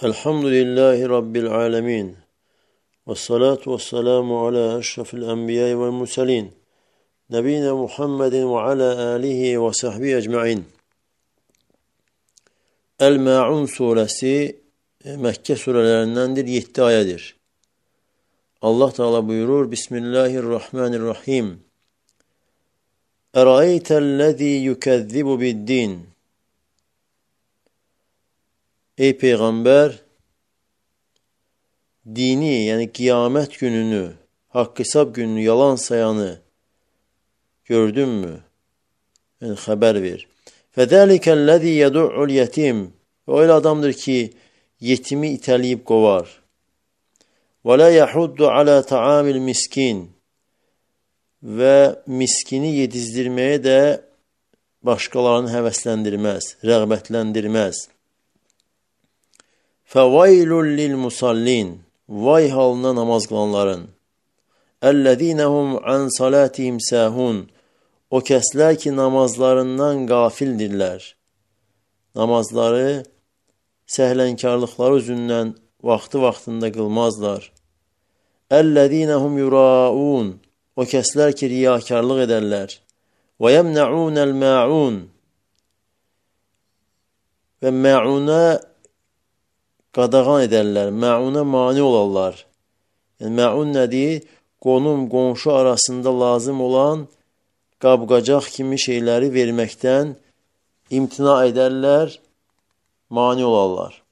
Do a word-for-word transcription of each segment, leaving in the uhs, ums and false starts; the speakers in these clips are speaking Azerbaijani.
Elhamdülillahi Rabbil alemin. Ve salatu ve selamu ala eşrafil enbiyayı vel murselin. Nebine Muhammedin ve ala alihi ve sahbihi ecma'in. El-Ma'un suresi Mekke surelerindendir, yedi ayedir. Allah Teala buyurur: Bismillahirrahmanirrahim. Eraeytellezî yukezzibu biddin. Ey Peygamber, dini yani kıyamet gününü, hak hesap gününü yalan sayanı gördün mü? Yani haber ver. فَذَٰلِكَ الَّذ۪ي يَدُعُّ الْيَتِيمِ Öyle adamdır ki yetimi iteleyip kovar. وَلَا يَحُدُّ عَلَى طَعَامِ الْمِسْكِينَ Ve miskini yedizdirmeye de başkalarını heveslendirmez, rağbetlendirmez. فَوَيْلٌ لِلْمُصَلِّينَ Vay halına namaz kılanların. اَلَّذ۪ينَ هُمْ عَنْ صَلَاتِهِمْ سَاهُونَ O kesler ki namazlarından gafildirler. Namazları sehlenkarlıkları yüzünden vakti vaktinde kılmazlar. اَلَّذ۪ينَ هُمْ يُرَاءُونَ O kesler ki riyakarlık ederler. وَيَمْنَعُونَ الْمَاعُونَ Ve me'una qadağan ederler, ma'una mani olarlar. Yani ma'un nədir? Qonum, qonşu arasında lazım olan qabqacaq kimi şeyləri verməkdən imtina edərlər, mani olarlar.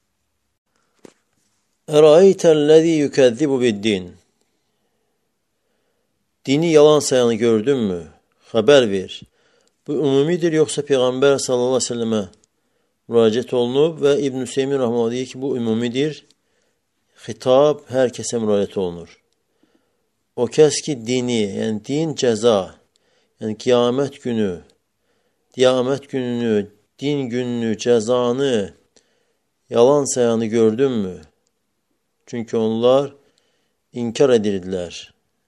Eraeytellezî yukezzibu biddin Dini yalan sayanı gördün mü? Haber ver. Bu ümumidir, yoxsa Peyğəmbər sallallahu aleyhi ve sellemə müraciət olunub və İbn-i Seymin Rahmanı deyir ki, bu ümumidir. Xitab hər kəsə müraciət olunur. O kəs ki, dini, yəni din cəza, yəni qiyamət günü, qiyamət gününü, din gününü, cəzanı yalan sayanı gördün mü? Çünki onlar inkar edirdilər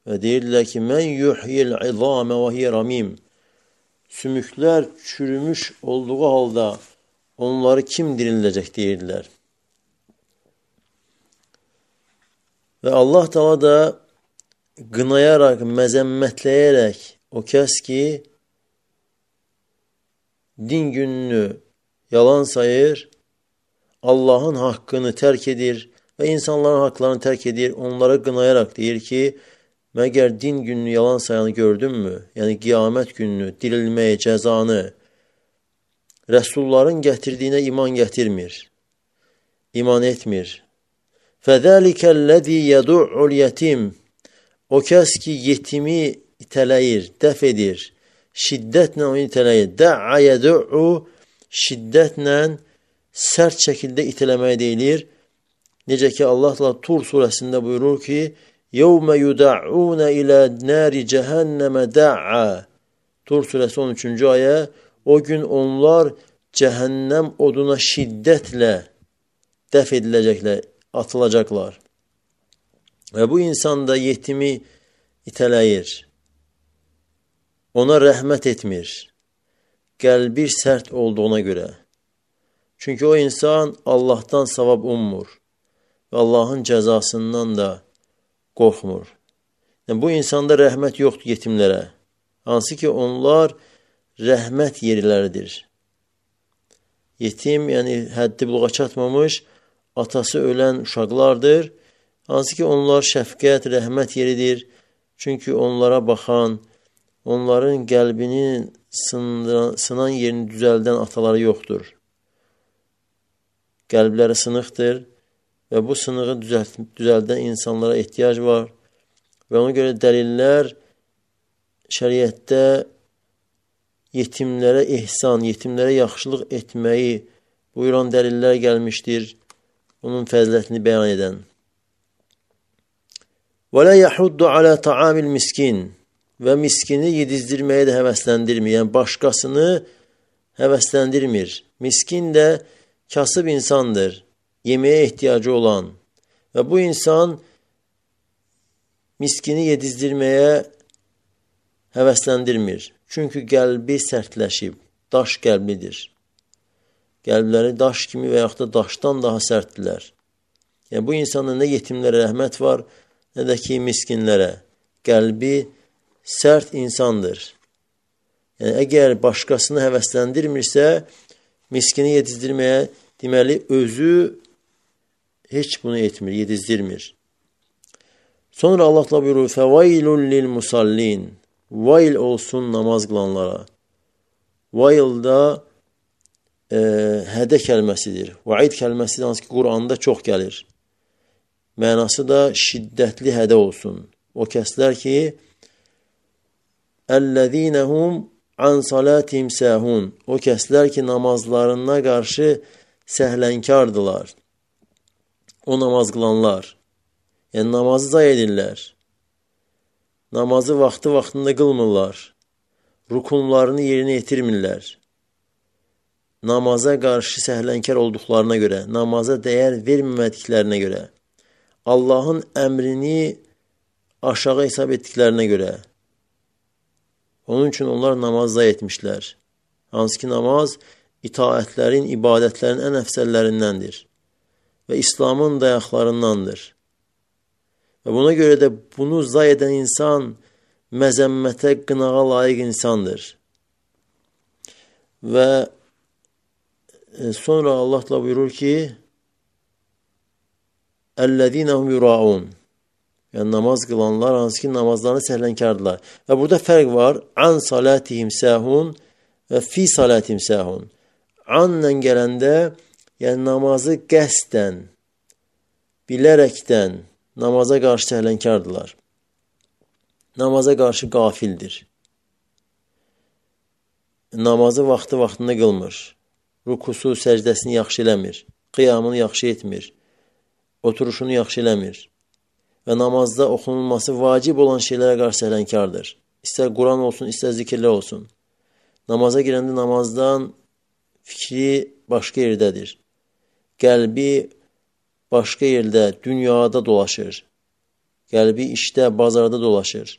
və deyirdilər ki, mən yuhyil izamə və hiyə ramim. Sümüklər çürümüş olduğu halda onları kim dirildəcək deyirdilər. Və Allah Teala da qınayaraq, məzəmmətləyərək o kəs ki, din gününü yalan sayır, Allahın haqqını tərk edir və insanların haqlarını tərk edir, onlara qınayaraq deyir ki, məgər din gününü yalan sayanı gördün mü? Yəni qiyamət gününü, dirilməyi, cəzanı, Rəsulların gətirdiyinə iman gətirmir, iman etmir. فَذَٰلِكَ الَّذ۪ي يَدُعُّ الْيَتِيمِ O kəs ki, yetimi itələyir, dəf edir, şiddətlə onu itələyir. دَعَّ يَدُعُّ Şiddətlə, sərt şəkildə itələməyə deyilir. Necə ki, Allah Tur surəsində buyurur ki, يَوْمَ يُدَعُّونَ إِلَى نَارِ جَهَنَّمَ دَعَّ Tur surəsi on üçüncü ayə. O gün onlar cəhənnəm oduna şiddətlə dəf ediləcəklər, atılacaqlar. Və bu insan da yetimi itələyir. Ona rəhmət etmir. Qəlbi sərt olduğuna görə. Çünki o insan Allahdan savab ummur. Və Allahın cəzasından da qorxmur. Yəni, bu insanda rəhmət yoxdur yetimlərə. Hansı ki, onlar rəhmət yerləridir. Yetim, yəni həddi buluğa çatmamış, atası ölən uşaqlardır. Hansı ki, onlar şəfqət, rəhmət yeridir. Çünki onlara baxan, onların qəlbinin sındıran, sınan yerini düzəldən ataları yoxdur. Qəlbləri sınıqdır və bu sınığı düzəldən insanlara ehtiyac var. Və ona görə dəlillər şəriətdə yetimlərə ehsan, yetimlərə yaxşılıq etməyi buyuran dəlillər gəlmişdir. Onun fəzilətini bəyan edən. وَلَا يَحُدُّ عَلَى طَعَامِ الْمِسْكِينَ Və miskini yedizdirməyə də həvəsləndirmir. Yəni, başqasını həvəsləndirmir. Miskin də kasıb insandır, yeməyə ehtiyacı olan. Və bu insan miskini yedizdirməyə həvəsləndirmir. Çünki qəlbi sərtləşib, daş qəlblidir. Qəlbləri daş kimi və yaxud da daşdan daha sərtdirlər. Yəni, bu insanın nə yetimlərə rəhmət var, nə də ki, miskinlərə. Qəlbi sərt insandır. Yəni, əgər başqasını həvəsləndirmirsə, miskini yedizdirməyə, deməli, özü heç bunu etmir, yedizdirmir. Sonra Allah da buyurur, فَوَيْلٌ لِلْمُسَلِّينَ Vayl olsun namaz qılanlara. Vayl da e, hədə kəlməsidir. Vaid kəlməsi hansı ki, Quranda çox gəlir. Mənası da şiddətli hədə olsun. O kəslər ki, اَلَّذ۪ينَهُمْ عَنْ صَلَاتِهِمْ سَهُونَ O kəslər ki, namazlarına qarşı səhlənkardılar. O namaz qılanlar. Yəni, namazı zay edirlər. Namazı vaxtı vaxtında qılmırlar. Rukunlarını yerinə yetirmirlər. Namaza qarşı səhlənkar olduqlarına görə, namaza dəyər vermədiklərinə görə, Allahın əmrini aşağı hesab etdiklərinə görə. Onun üçün onlar namaz zay etmişlər. Hansı ki, namaz itaətlərin, ibadətlərin ən əfsəllərindəndir və İslamın dayaqlarındandır. Və buna görə də bunu zay edən insan məzəmmətə, qınağa layiq insandır. Və sonra Allah da buyurur ki, Əl-ləzīnəhum yuraun Yəni, namaz qılanlar, hansı ki, namazlarını səhlənkardılar. Və burada fərq var. An salatihim səhun və fi salatihim səhun. Anla gələndə, yəni namazı qəsdən, bilərəkdən namaza qarşı səhlənkardılar. Namaza qarşı qafildir. Namazı vaxtı-vaxtında qılmır. Rukusu, səcdəsini yaxşı eləmir. Qiyamını yaxşı etmir. Oturuşunu yaxşı eləmir. Və namazda oxunulması vacib olan şeylərə qarşı səhlənkardır. İstər Quran olsun, istər zikirlər olsun. Namaza girəndə namazdan fikri başqa yerdədir. Qəlbi başqa yerdə, dünyada dolaşır. Qəlbi işdə, bazarda dolaşır.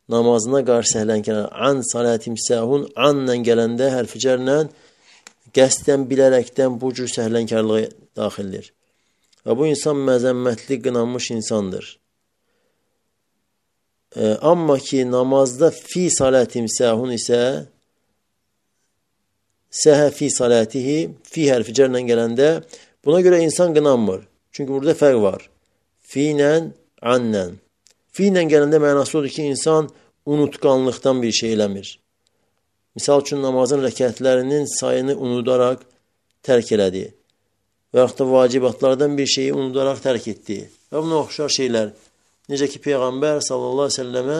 Namazına qarşı səhlənkar. An salatim səhun, anla gələndə hərficərlə qəsdən, bilərəkdən bu cür səhlənkarlığa daxildir. Və bu insan məzəmmətli, qınanmış insandır. E, amma ki, namazda fi salatim səhun isə səhə fi salatihi, fi hərfi cərlə gələndə buna görə insan qınanmır. Çünki burada fərq var. Fi ilə, anlə. Fi ilə gələndə mənası odur ki, insan unutqanlıqdan bir şey eləmir. Misal üçün, namazın rəkətlərinin sayını unudaraq tərk elədi. Və yaxud da vacibatlardan bir şeyi unudaraq tərk etdi. Və buna oxşar şeylər. Necə ki, Peyğəmbər sallallahu aleyhi ve selləmə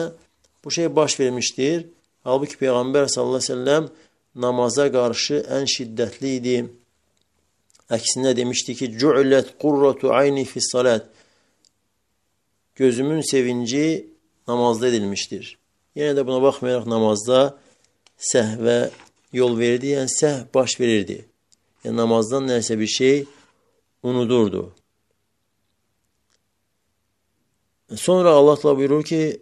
bu şey baş vermişdir. Halbuki Peyğəmbər sallallahu aleyhi ve selləm namaza qarşı ən şiddətli idi. Əksinə demişdi ki, Cu'lət qurratu ayni fissalat. Gözümün sevinci namazda edilmişdir. Yenə də buna baxmayaraq namazda səhvə yol verdi, yəni səhv baş verirdi. Yəni namazdan nəsə bir şey unudurdu. Sonra Allah da buyurur ki,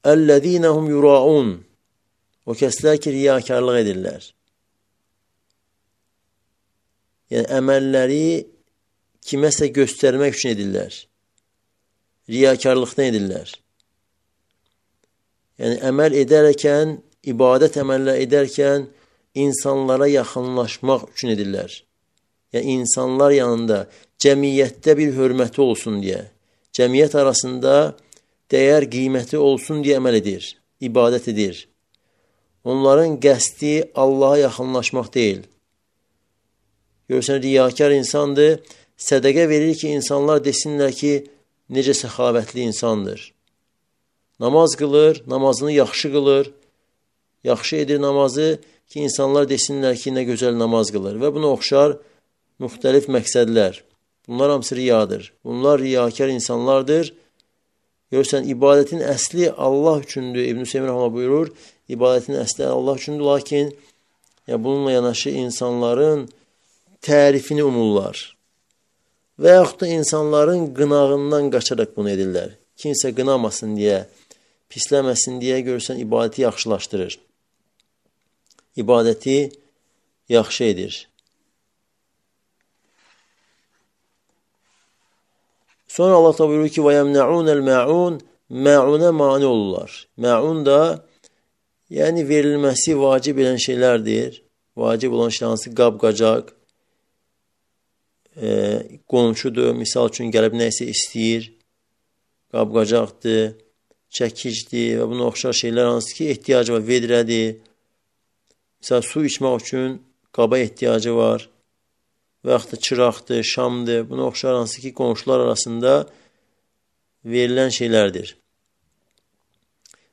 Əl-ləzīnəhum yuraun O kəslər ki, riyakarlıq edirlər. Yəni, əməlləri kiməsə göstərmək üçün edirlər. Riyakarlıqdan edirlər. Yəni, əməl edərkən, ibadət əməllər edərkən insanlara yaxınlaşmaq üçün edirlər. Yəni, insanlar yanında cəmiyyətdə bir hörməti olsun deyə, cəmiyyət arasında dəyər, qiyməti olsun deyə əməl edir, ibadət edir. Onların qəsdi Allaha yaxınlaşmaq deyil. Görürsən, riyakar insandır, sədəqə verir ki, insanlar desinlər ki, necə səxavətli insandır. Namaz qılır, namazını yaxşı qılır, yaxşı edir namazı ki, insanlar desinlər ki, nə gözəl namaz qılır. Və buna oxşar müxtəlif məqsədlər. Bunlar hamısı riyadır. Bunlar riyakar insanlardır. Görürsən, ibadətin əsli Allah üçündür. İbn-i Hüseyin Rəhmə buyurur, ibadətin əsli Allah üçündür, lakin ya, bununla yanaşı insanların tərifini umurlar. Və yaxud da insanların qınağından qaçaraq bunu edirlər. Kimsə qınamasın deyə, pisləməsin deyə görürsən, ibadəti yaxşılaşdırır. İbadəti yaxşı edir. Sonra Allah da buyurur ki: "Və yemna'unel ma'un", ma'una mani olurlar. Ma'un da yəni verilməsi vacib olan şeylərdir. Vacib olan şey hansı? Qab-qacaq, e, qonşudur. Misal üçün gəlib nəsə istəyir. Qab-qacaqdır, çəkicdir və buna oxşar şeylər hansı ki ehtiyacı var, vedrədir. Misal su içmək üçün qaba ehtiyacı var. Və yaxud da çıraqdır, şamdır. Buna oxşar hansı ki qonşular arasında verilən şeylərdir.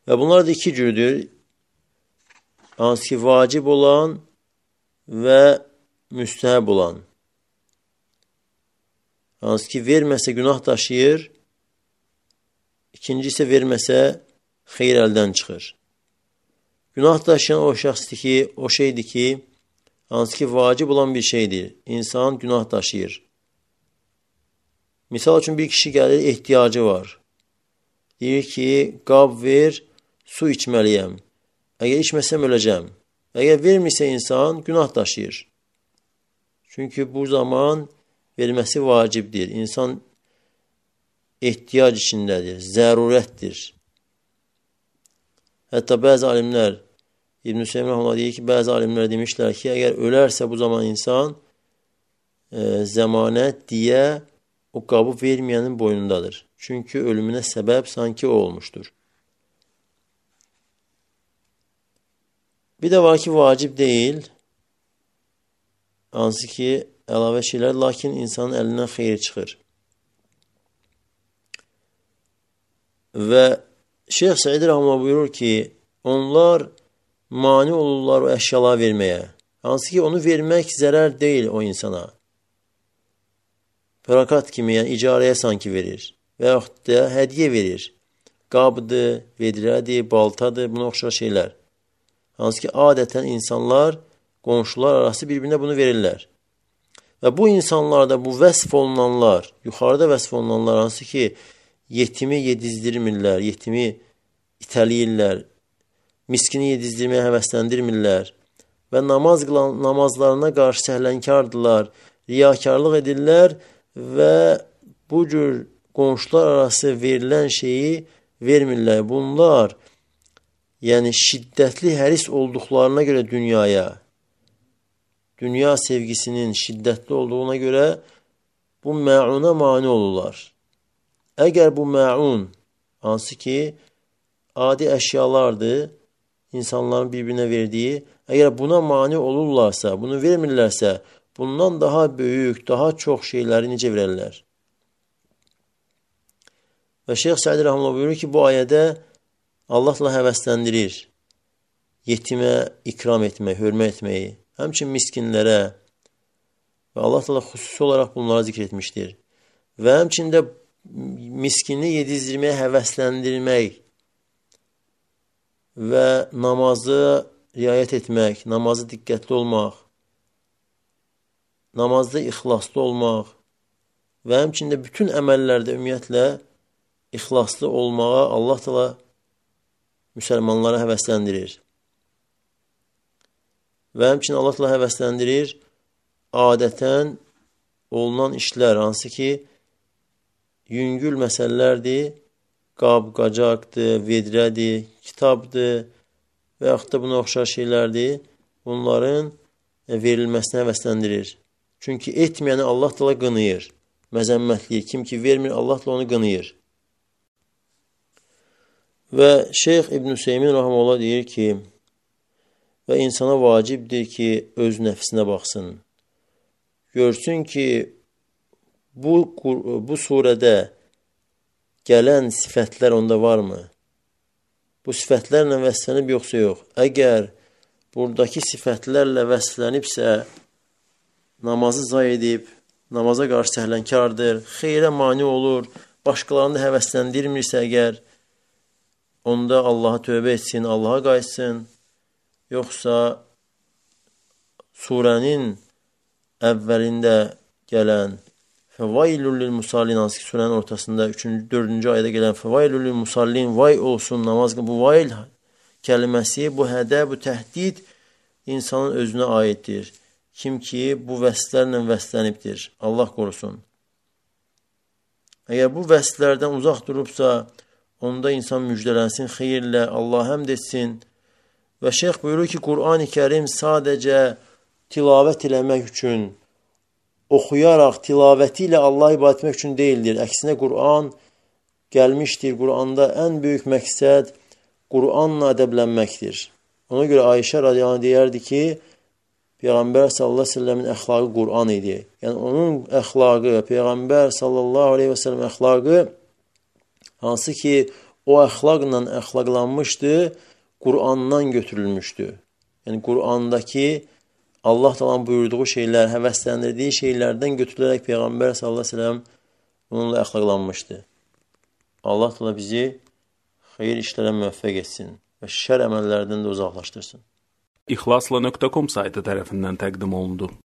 Və bunlar da iki cürdür. Hansı ki vacib olan və müstəhəb olan. Hansı ki verməsə günah daşıyır. İkinci isə verməsə xeyir əldən çıxır. Günah daşıyan o şəxsdir ki, o şeydir ki, hansı ki vacib olan bir şeydir. İnsan günah daşıyır. Misal üçün bir kişi gəlir, ehtiyacı var. Deyir ki, qab ver, su içməliyəm. Əgər içməsəm öləcəm. Əgər vermirsə insan günah daşıyır. Çünki bu zaman verməsi vacibdir. İnsan ehtiyac içindədir, zərurətdir. Hətta bəzi alimlər, İbn-i Hüseyin Rəhməllah deyir ki, bəzi alimlər demişlər ki, əgər ölərsə bu zaman insan e, zəmanət, diyə o qabı verməyənin boynundadır. Çünki ölümünə səbəb sanki o olmuşdur. Bir də var ki, vacib deyil, hansı ki, əlavə şeylər, lakin insanın əlindən xeyir çıxır. Və Şeyx Səid Rəhməllah buyurur ki, onlar mani olurlar o əşyalar verməyə. Hansı ki, onu vermək zərər deyil o insana. Fərakat kimi, yəni icarəyə sanki verir. Və yaxud da hədiyə verir. Qabdır, vedrədir, baltadır, buna oxşar şeylər. Hansı ki, adətən insanlar, qonşular arası bir-birinə bunu verirlər. Və bu insanlarda bu vəsf olunanlar, yuxarıda vəsf olunanlar, hansı ki, yetimi yedizdirmirlər, yetimi itəliyirlər, miskini yedizdirməyə həvəsləndirmirlər və namaz qılan, namazlarına qarşı səhlənkardırlar, riyakarlıq edirlər və bu cür qonşular arası verilən şeyi vermirlər. Bunlar, yəni şiddətli həris olduqlarına görə dünyaya, dünya sevgisinin şiddətli olduğuna görə bu mə'una mani olurlar. Əgər bu mə'un, hansı ki, adi əşyalardır, insanların bir-birinə verdiyi, əgər buna mani olurlarsa, bunu vermirlərsə, bundan daha böyük, daha çox şeyləri necə verərlər? Və Şeyx Səid Rəhməllah buyurur ki, bu ayədə Allahla həvəsləndirir, yetimə ikram etmək, hörmət etməyi, həmçin miskinlərə və Allah da xüsusi olaraq bunları zikr etmişdir. Və həmçində miskini yedizdirməyə həvəsləndirmək və namazı riayət etmək, namazı diqqətli olmaq, namazda ixlaslı olmaq və həmçində bütün əməllərdə ümumiyyətlə ixlaslı olmağa Allah da müsəlmanlara həvəsləndirir. Və həmçinin Allah da həvəsləndirir adətən olunan işlər, hansı ki, yüngül məsələlərdir, qab, qacaqdır, vedrədir, kitabdır və yaxud da buna oxşar şeylərdir, bunların verilməsinə həvəsləndirir. Çünki etməyəni Allah da qınıyır, məzəmmətliyir. Kim ki vermir, Allah da onu qınıyır. Və Şeyx İbn Hüseymin Rəhməllah deyir ki, və insana vacibdir ki, öz nəfsinə baxsın. Görsün ki, bu, bu surədə gələn sifətlər onda varmı? Bu sifətlərlə vəsflənib yoxsa yox? Əgər buradakı sifətlərlə vəsflənibsə, namazı zay edib, namaza qarşı səhlənkardır, xeyrə mani olur, başqalarını da həvəsləndirmirsə əgər, onda Allaha tövbə etsin, Allaha qayıtsın, yoxsa surənin əvvəlində gələn Fəvailul lil musallin, hansı ki surənin ortasında üçüncü, dördüncü ayədə gələn Fəvailul lil musallin, vay olsun namaz, bu vail kəlməsi, bu hədə, bu təhdid insanın özünə aiddir. Kim ki bu vəslərlə vəslənibdir, Allah qorusun. Əgər bu vəsflərdən uzaq durubsa, onda insan müjdələnsin xeyirlə, Allah həmd etsin. Və şeyx buyurur ki, Qur'an-ı Kərim sadəcə tilavət eləmək üçün, oxuyaraq, tilavəti ilə Allah ibadət etmək üçün deyildir. Əksinə Qur'an gəlmişdir. Qur'anda ən böyük məqsəd Qur'anla ədəblənməkdir. Ona görə Ayşə radiyallahu anh deyərdi ki, Peyğəmbər sallallahu aleyhi ve sellemin əxlaqı Qur'an idi. Yəni onun əxlaqı, Peyğəmbər sallallahu aleyhi ve sellem əxlaqı, hansı ki o əxlaqla əxlaqlanmışdı, Qur'andan götürülmüşdü. Yəni Qur'andakı Allah Taala'nın buyurduğu şeylər, həvəsləndirdiyi şeylərdən götürülərək Peyğəmbər sallallahu aleyhi ve sellem bununla əxlaqlanmışdı. Allah Taala bizi xeyir işlərə müvəffəq etsin və şər əməllərdən də uzaqlaşdırsın. İxlasla nöqtə com saytı tərəfindən təqdim olundu.